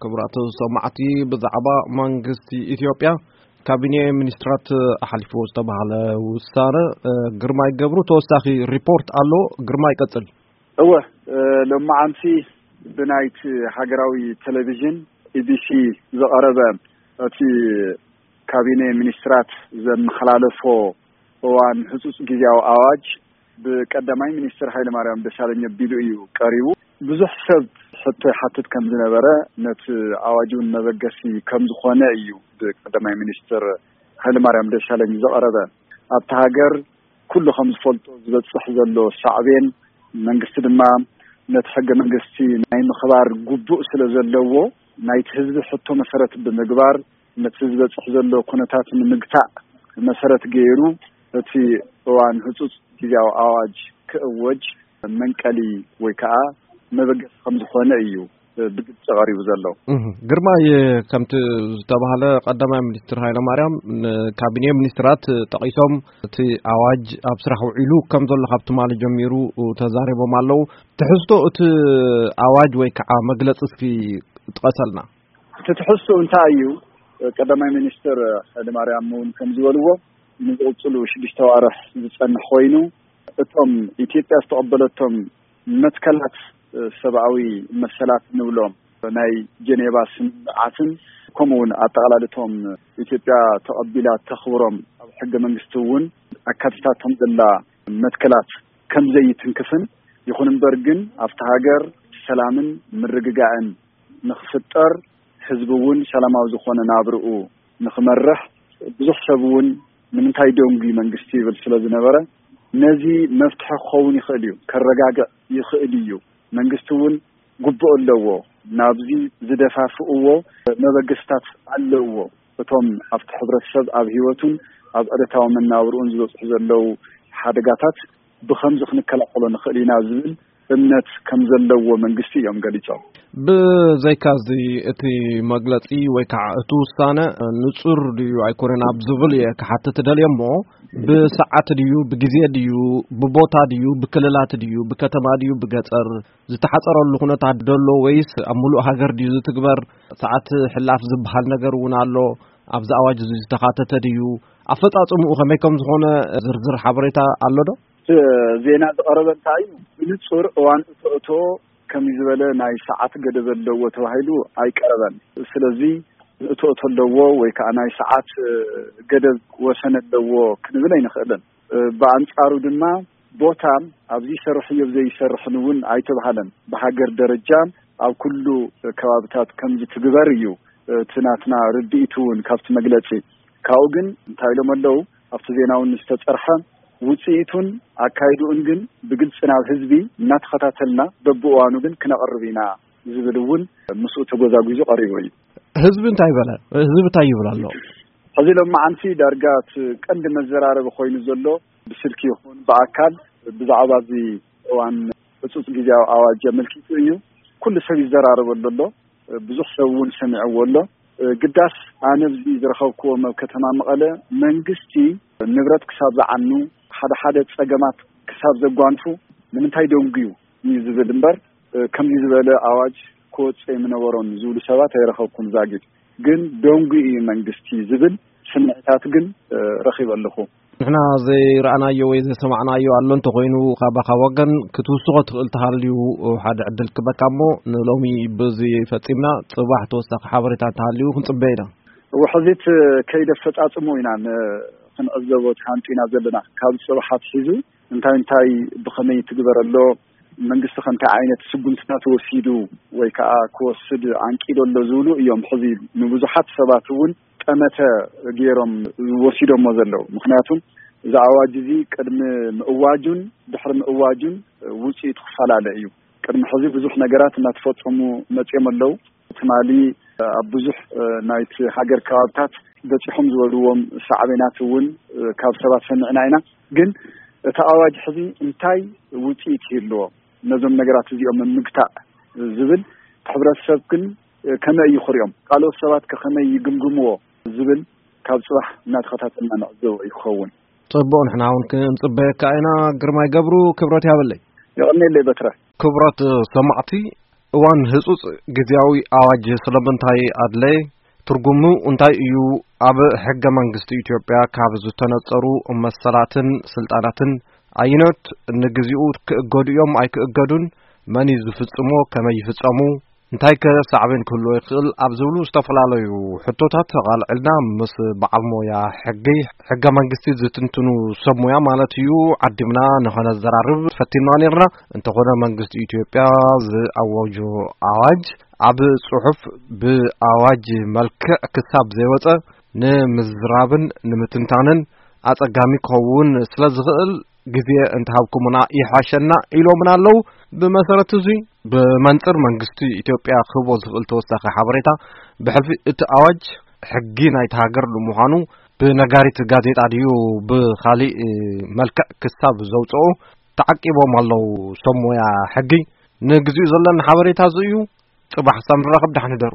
ክቡራት ሰማዕቲ፣ ብዛዕባ መንግስቲ ኢትዮጵያ ካቢኔ ሚኒስትራት ኣሕሊፍዎ ዝተባህለ ውሳነ፣ እ፣ ግርማይ ገብሩ ተወሳኺ ሪፖርት ኣሎ። ግርማይ፣ ቀጽል። እወ፣ እ፣ ሎማዓንቲ ብናይቲ ሃገራዊ ቴሌቪዥን፣ ኢ ቢ ሲ፣ ዝቐረበ እቲ ካቢኔ ሚኒስትራት ዘመሓላለፎ እዋን ህጹጽ ግዝያዊ ኣዋጅ ብቀዳማይ ሚኒስትር ሃይለማርያም ደሳለኝ ኣቢሉ እዩ ቀሪቡ። ብዙሕ ሰብ ሕቶ ይሓትት ከም ዝነበረ፣ ነቲ ኣዋጅ እውን መበገሲ ከም ዝኾነ እዩ ብቀዳማይ ሚኒስትር ሃይለማርያም ደሳለኝ ዝቐረበ። ኣብቲ ሃገር ኩሉ ከም ዝፈልጦ ዝበጽሕ ዘሎ ሳዕቤን፣ መንግስቲ ድማ ነቲ ሕገ መንግስቲ ናይ ምኽባር ግቡእ ስለ ዘለዎ፣ ናይቲ ህዝቢ ሕቶ መሰረት ብምግባር፣ ነቲ ዝበጽሕ ዘሎ ኩነታት ንምግታእ መሰረት ገይሩ፣ እቲ እዋን ህጹጽ ግዝያዊ ኣዋጅ ክእወጅ መንቀሊ ወይ ከዓ መበገሲ ከም ዝኾነ እዩ ብግልጺ ቀሪቡ ዘሎ። እህ፣ ግርማይ፣ ከምቲ ዝተባህለ፣ ቀዳማይ ሚኒስትር ሃይለማርያም ንካቢኔ ሚኒስትራት ጠቒሶም፣ እቲ ኣዋጅ ኣብ ስራሕ ውዒሉ ከም ዘሎ ካብ ትማሊ ጀሚሩ ተዛሪቦም ኣለዉ። ትሕዝቶ እቲ ኣዋጅ ወይ ከዓ መግለጺ እስኪ ጥቀሰልና። እቲ ትሕዝቶ እንታይ እዩ? ቀዳማይ ሚኒስትር ሃይለማርያም እውን ከም ዝበልዎ፣ ንዝቕጽሉ ሽዱሽተ ኣዋርሕ ዝጸንሕ ኮይኑ፣ እቶም ኢትዮጵያ ዝተቐበለቶም መትከላት ሰብኣዊ መሰላት ንብሎም፣ ናይ ጀኔቫ ስምምዓትን፣ ከምኡ እውን ኣጠቓላልቶም ኢትዮጵያ ተቐቢላ ተኽብሮም ኣብ ሕገ መንግስቲ እውን ኣካቲታቶም ዘላ መትከላት ከም ዘይትንክፍን፣ ይኹን እምበር ግን ኣብቲ ሃገር ሰላምን ምርግጋእን ንኽፍጠር፣ ህዝቢ እውን ሰላማዊ ዝኾነ ናብርኡ ንኽመርሕ፣ ብዙሕ ሰብ እውን ንምንታይ ደንጉዩ መንግስቲ ይብል ስለ ዝነበረ፣ ነዚ መፍትሒ ክኸውን ይኽእል እዩ፣ ከረጋግዕ ይኽእል እዩ። መንግስቲ እውን ግቡእ ኣለዎ። ናብዚ ዝደፋፍእዎ መበገስታት ኣለዎ። እቶም ኣብቲ ሕብረተሰብ፣ ኣብ ህይወቱን ኣብ ዕለታዊ መናብርኡን ዝበጽሑ ዘለዉ ሓደጋታት ብኸምዚ ክንከላኸሎ ንኽእል ኢና ዝብል እምነት ከም ዘለዎ መንግስቲ እዮም ገሊጾም። ብዘይካዚ፣ እቲ መግለጺ ወይ ከዓ እቲ ውሳነ ንጹር ድዩ ኣይኮነን ኣብ ዝብል እየ ክሓትት ደልየ እሞ፣ ብሰዓት ድዩ፣ ብግዜ ድዩ፣ ብቦታ ድዩ፣ ብክልላት ድዩ፣ ብከተማ ድዩ፣ ብገጠር ዝተሓጸረሉ ኩነታት ደሎ ወይስ ኣብ ምሉእ ሃገር ድዩ ዝትግበር? ሰዓት ሕላፍ ዝበሃል ነገር እውን ኣሎ። ኣብዚ ኣዋጅ እዚ ዝተኻተተ ድዩ? ኣፈጻጽምኡ ከመይ ከም ዝኾነ ዝርዝር ሓበሬታ ኣሎ ዶ? እቲ ዜና ዝቐረበ እንታይ እዩ? ብንጹር እዋን እቶ እቶ ከምዚ ዝበለ ናይ ሰዓት ገደብ ኣለዎ ተባሂሉ ኣይቀረበን። ስለዚ እቶ እቶ ኣለዎ ወይ ከዓ ናይ ሰዓት፣ እ፣ ገደብ ወሰን ኣለዎ ክንብል ኣይንኽእልን። እ፣ ብኣንጻሩ ድማ ቦታ ኣብዚ ይሰርሕ እዩ፣ ኣብዚ ይሰርሕን እውን ኣይተባሃለን። ብሃገር ደረጃ ኣብ ኩሉ ከባብታት ከምዚ ትግበር እዩ እቲ ናትና ርድኢት እውን ካብቲ መግለጺ። ካብኡ ግን እንታይ ኢሎም ኣለዉ? ኣብቲ ዜና እውን ዝተጸርሐ፣ ውጽኢቱን ኣካይድኡን ግን ብግልጺ ናብ ህዝቢ እናተኸታተልና በብእዋኑ ግን ክነቕርብ ኢና ዝብል እውን ምስኡ ተጎዛጒዙ ቀሪቡ እዩ። ህዝቢ እንታይ በለ? ህዝቢ እንታይ ይብል ኣሎ? ሕዚ ሎማዓንቲ ዳርጋ እቲ ቀንዲ መዘራረቢ ኮይኑ ዘሎ፣ ብስልኪ ይኹን ብኣካል፣ ብዛዕባ እዚ እዋን ህጹጽ ግዜያዊ ኣዋጅ ኣመልኪቱ እዩ። ኩሉ ሰብ ይዘራረበሉ ኣሎ። ብዙሕ ሰብ እውን ሰሚዕዎ ኣሎ። ግዳስ ኣነ ኣብዚ ዝረኸብክዎም ኣብ ከተማ መቐለ፣ መንግስቲ ንብረት ክሳብ ዝዓኑ፣ ሓደ ሓደ ጸገማት ክሳብ ዘጓንፉ፣ ንምንታይ ደንጉዩ እዩ ዝብል እምበር፣ ከምዚ ዝበለ ኣዋጅ ክወጽእ ምነበሮን ዝብሉ ሰባት ኣይረኸብኩን። ዛጊድ ግን ደንጉዩ እዩ መንግስቲ ዝብል ስምዒታት ግን ረኺበ ኣለኹ። ንሕና ዘይረኣናዮ ወይ ዘይሰማዕናዮ ኣሎ እንተኾይኑ፣ ካባኻ ወገን ክትውስኾ ትኽእል ተሃልዩ ሓደ ዕድል ክበካ እሞ፣ ንሎሚ ብዚ ፈጺምና፣ ጽባሕ ተወሳኺ ሓበሬታ እንተሃልዩ ክንጽበ ኢና። ውሕዚት ከይደ ኣፈጻጽሙ ኢና ን-፣ ክንዕዘቦ ተሃንጢና ዘለና። ካብ ጽባሕ ኣትሒዙ እንታይ እንታይ ብኸመይ ትግበር ኣሎ፣ መንግስቲ ከ እንታይ ዓይነት ስጉምትታት ወሲዱ ወይ ከዓ ክወስድ ዓንቂዶ ኣሎ ዝብሉ እዮም ሕዚ ንብዙሓት ሰባት እውን ጠመተ ገይሮም ወሲዶሞ ዘለዉ። ምኽንያቱ እዚ ኣዋጅ እዚ ቅድሚ ምእዋጁን ድሕሪ ምእዋጁን ውፅኢቱ ክፈላለ እዩ። ቅድሚ ሕዚ ብዙሕ ነገራት እናተፈፀሙ መፅዮም ኣለዉ። ትማሊ ኣብ ብዙሕ ናይቲ ሃገር ከባብታት በፂሖም ዝበልዎም ሳዕቤናት እውን ካብ ሰባት ሰሚዕና ኢና። ግን እቲ ኣዋጅ ሕዚ እንታይ ውፅኢት ይህልዎ፣ ነዞም ነገራት እዚኦም ምግታእ ዝብል፣ እቲ ሕብረተሰብ ግን ከመይ እዩ ክሪኦም፣ ካልኦት ሰባት ከ ከመይ ይግምግምዎ ዝብል ካብ ፅባሕ እናተኸታተልና ንዕዘቦ እዩ ክኸውን። ጽቡቕ፣ ንሕና እውን ክንጽበየካ ኢና። ግርማይ ገብሩ፣ ክብረት ያበለይ። የቐንየለይ በትረ። ክብረት ሰማዕቲ፣ እዋን ህጹጽ ግዜያዊ ኣዋጅ ስለምንታይ ኣድለየ? ትርጉሙ እንታይ እዩ? ኣብ ሕገ መንግስቲ ኢትዮጵያ ካብ ዝተነጸሩ መሰላትን ስልጣናትን ኣየኖት ንግዚኡ ክእገዱ እዮም ኣይክእገዱን? መን እዩ ዝፍጽሞ? ከመይ ይፍጸሙ? እንታይ ከ ሳዕቤን ክህልዎ ይኽእል? ኣብ ዝብሉ ዝተፈላለዩ ሕቶታት ተቓልዕልና ምስ በዓል ሞያ ሕጊ፣ ሕገ መንግስቲ ዝትንትኑ ሰብ ሞያ ማለት እዩ፣ ዓዲምና ንኸነዘራርብ ፈቲንና ነርና። እንተኾነ መንግስቲ ኢትዮጵያ ዝኣወጆ ኣዋጅ ኣብ ጽሑፍ ብኣዋጅ መልክዕ ክሳብ ዘይወጸ ንምዝራብን ንምትንታንን ኣጸጋሚ ክኸውን ስለ ዝኽእል፣ ግዜ እንተሃብኩምና ይሓሸና ኢሎምና ኣለዉ። ብመሰረት እዙይ፣ ብመንጽር መንግስቲ ኢትዮጵያ ክህቦ ዝኽእል ተወሳኺ ሓበሬታ፣ ብሕልፊ እቲ ኣዋጅ ሕጊ ናይቲ ሃገር ንምዃኑ ብነጋሪት ጋዜጣ ድዩ ብኻሊእ መልክዕ ክሳብ ዘውፅኦ ተዓቂቦም ኣለዉ። ሰብ ሞያ ሕጊ፣ ንግዚኡ ዘለና ሓበሬታ እዚ እዩ። ጽባሕ ሳብ ንራኸብ፣ ደሓን ህደሩ።